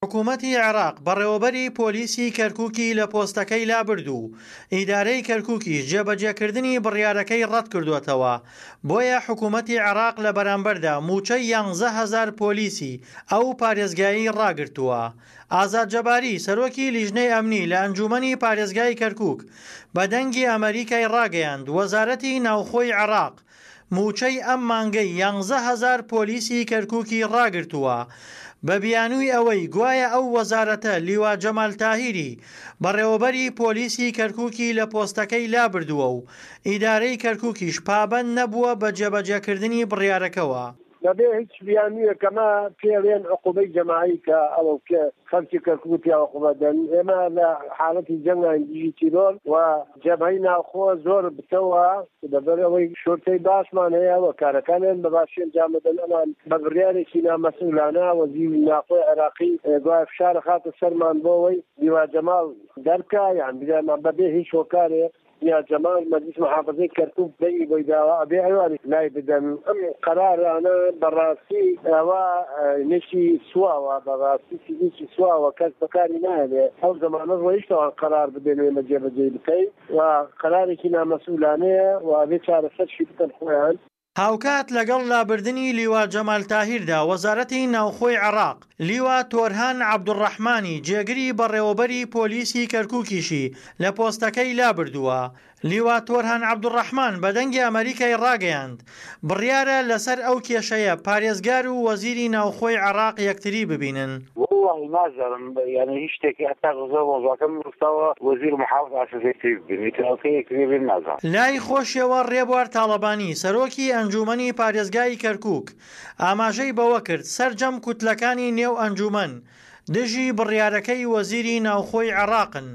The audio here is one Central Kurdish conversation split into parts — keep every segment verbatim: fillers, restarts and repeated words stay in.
حکوومەتی عێراق بەڕێوەبەری پۆلیسی کەرکووکی لە پۆستەکەی لابرد و ئیدارەی کەرکووکیش جێبەجێکردنی بڕیارەکەی ڕەتکردووەتەوە، بۆیە حکوومەتی عێراق لە بەرامبەردا مووچەی یانزە هەزار پۆلیسی ئەو پارێزگایەی ڕاگرتووە. ئازاد جەباری، سەرۆکی لیژنەی ئەمنی لە ئەنجوومەنی پارێزگای کەرکووک بە دەنگی ئەمەریکای ڕاگەیاند، وەزارەتی ناوخۆی عێراق مووچەی ئەم مانگەی یانزە هەزار پۆلیسی کەرکووکی ڕاگرتووە بە بیانووی ئەوەی گوایە ئەو وەزارەتە لیوا جەمال تاهیری بەڕێوەبەری پۆلیسی کەرکووکی لە پۆستەکەی لابردووە و ئیدارەی کەرکووکیش پابەند نەبووە بە جێبەجێکردنی بڕیارەکەوە. بەبێ هیچ بیانوویەک ئەمە پێڵێن عقوبەی جەماعی کە ئەوە کە خەڵکی کەرکوک پیا عقوبە دەن. ئێمە لە حاڵەتی جەنگاین دژی تیرۆر و جەبهەی ناوخۆ زۆر بتەوە، لەبەر ئەوەی شورتەی باشمان هەیە و کارەکانیان بە باشی ئەنجام دەدەن. ئەمان بە بڕیارێکی نامەسئولانە وەزیری ناوخۆی عێراقی گوایە فشار خاتە سەرمان بۆ ئەوەی لیوا جەماڵ دەرکا، یان بەبێ هیچ هۆکارێ یا جەمال مەجلیس محافظەی کەرکوک دەنگی بۆی داوە ئەبێ ئەوانیش لای بدەن. ئەم قەرارانە بەڕاستی ئەوە نێکی سواوە، بەڕاستی چیزێکی سواوە، کەس بەکاری نایەنێ. ئەو زەمانە ڕۆیشتەوان قەرار بدەن و ئێمە جێبەجێی بکەین و قەرارێکی نامەسئولانەیە و ئەبێ چارەسەرشی بکەن خۆیان. هاوکات لەگەڵ لابردنی لیوا جەمال تاهیردا، وەزارەتی ناوخۆی عێراق لیوا تۆرهان عەبدولڕەحمانی جێگری بەڕێوەبەری پۆلیسی کەرکوکیشی لە پۆستەکەی لابردووە. لیوا تۆرهان عەبدولڕەحمان بە دەنگی ئەمەریکای ڕاگەیاند، بڕیارە لەسەر ئەو کێشەیە پارێزگار و وەزیری ناوخۆی عێراق یەکتری ببینن. وەڵاهی نازانم یانی هیچ شتێکی هەتا زۆر مەوزوعەکەم نووساوە وەزیر محافظ ئاساس یەکتری ببینن ئیتر ئەو کەی یەکتری ببینن نازانم. لای خۆشیەوە ڕێبوار تاڵەبانی، سەرۆکی ئەنجوومەنی پارێزگای کەرکووک، ئاماژەی بەوەکرد، سەرجەم کوتلەکانی نێو ئەنجوومەن دژی بڕیارەکەی وەزیری ناوخۆی عێراقن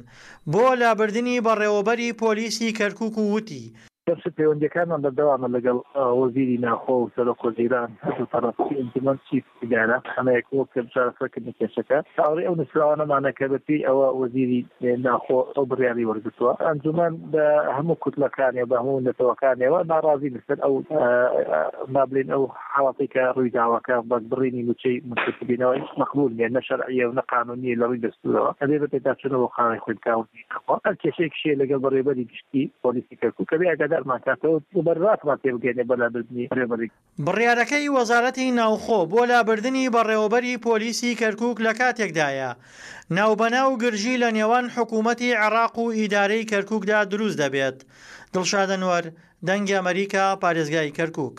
بۆ لابردنی بەڕێوەبەری پۆلیسی کەرکووک و وتی، دەرچوو پەیوەندیەکانمان بەردەوامە لەگەڵ وەزیری ناوخۆ و سەرۆک وەزیران هەردوو تەڕەف چی ئەنجومەن چی ئیدارە ئەمە یەک بۆ چارەسەرکردنی کێشەکە چاوەڕێی ئەو نووسراوانەمانە کە بەپێی ئەوە وەزیری ناوخۆ ئەو بڕیاری وەرگرتووە. ئەنجومەن بە هەموو کوتلەکانیەوە بە هەموو نەتەوەکانیەوە ناڕازی لەسەر ئەو با بڵێین ئەو حاڵەتەی کە ڕوویداوە کە بە بڕینی مووچەی مونتەسیبینەوە هیچ مەقبوول نییە، نە شەرعیە و نە قانوونیە لە ڕووی دەستوورەوە، ئەبێ بە پێداچوونەوە بۆ قانونی خۆی بکا وەزیری ناوخۆ. هەر کێشەیەکیش هەیە لەگەڵ بەڕێوەبەری گشتی پۆلیسی کەرکووک ئەبێ ئاگادارمان کاتەوە و بەرڕاستمان تێبگەیەنێ بۆ لابردنی بەڕێوەبەری. بڕیارەکەی وەزارەتی ناوخۆ بۆ لابردنی بەڕێوەبەری پۆلیسی کەرکووک لە کاتێکدایە، ناوبەناو گرژی لە نێوان حکوومەتی عێراق و ئیدارەی کەرکووکدا دروست دەبێت. دڵشاد ئەنوەر، دەنگی ئەمەریکا، پارێزگای کەرکووک.